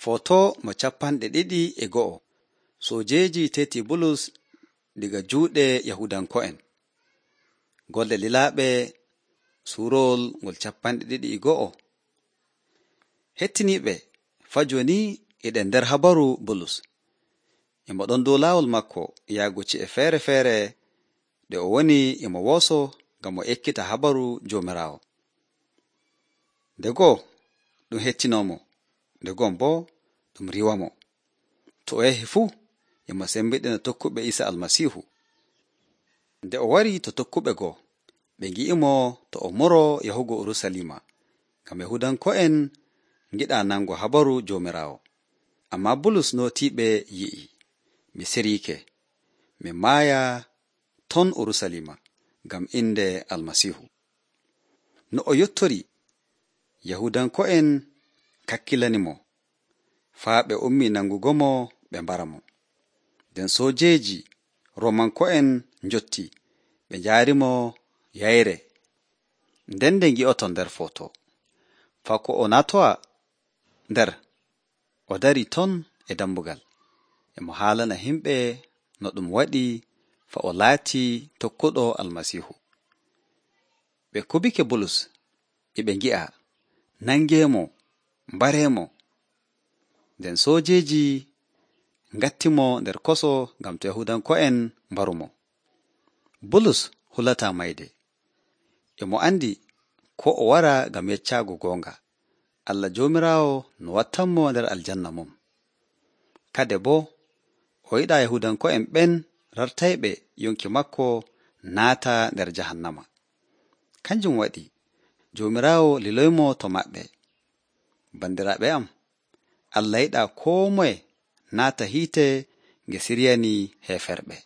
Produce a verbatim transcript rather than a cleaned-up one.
Foto mo capanɗe ɗiɗi e go'o. Sojeeji teti Bulus diga juuɗe Yahudanko'en. Golle lilaaɓe suurowol ngol capanɗe ɗiɗi e go'o. Hettiniiɓe faa jooni eɗen nder habaru Bulus. Emo ɗon dow laawol makko yahgo ci'e feere feere ɗe o woni emo wooso ngam o ekkita habaru Joomiraawo. Nde goo ɗum hettinoomo, nde gon boo ɗum riiwamo. To o yahi fuu emo sembiɗina tokkuɓe Iisa Almasiihu. Nde o warii to tokkuɓe goo, ɓe ngi'imo to o moroo yahugo Urusalima, ngam Yahudanko'en ngiɗaa nango habaru Joomiraawo. Ammaa Bulus nootiiɓe yi'i, mi siriike, mi maaya ton Urusalima ngam innde Almasiihu. No o yottori, Yahudanko'en kakkilanimo, faa ɓe ummii nangugo-mo ɓe mbara mo. Nden soojeeji Roomanko'en njotti, ɓe njaari-mo yayre. Nden nde ngi'oton nder foto, faa ko o natowa nder, o darii ton e dammugal, emo haalana himɓe no ɗum waɗi faa o laatii tokkuɗo Almasiihu. Ɓe kubike Bulus e ɓe ngi'a, nangeemo, mbareemo. Nden soojeeji ngattimo nder koso ngam to Yahudanko'en mbarumo. Bulus hulataa mayde. Emo andi ko o wara ngam yeccaago goonga. Allah Joomiraawo no wattanmo nder aljanna mum. Kade boo o yiɗaa Yahudanko'en ɓen rartayɓe yonki makko naata nder jahannama. Kanjum waɗi Joomiraawo liloymo to maɓɓe. Bandiraaɓe am, Allah yiɗaa koo moye naata hiite nge siryanii heeferɓe.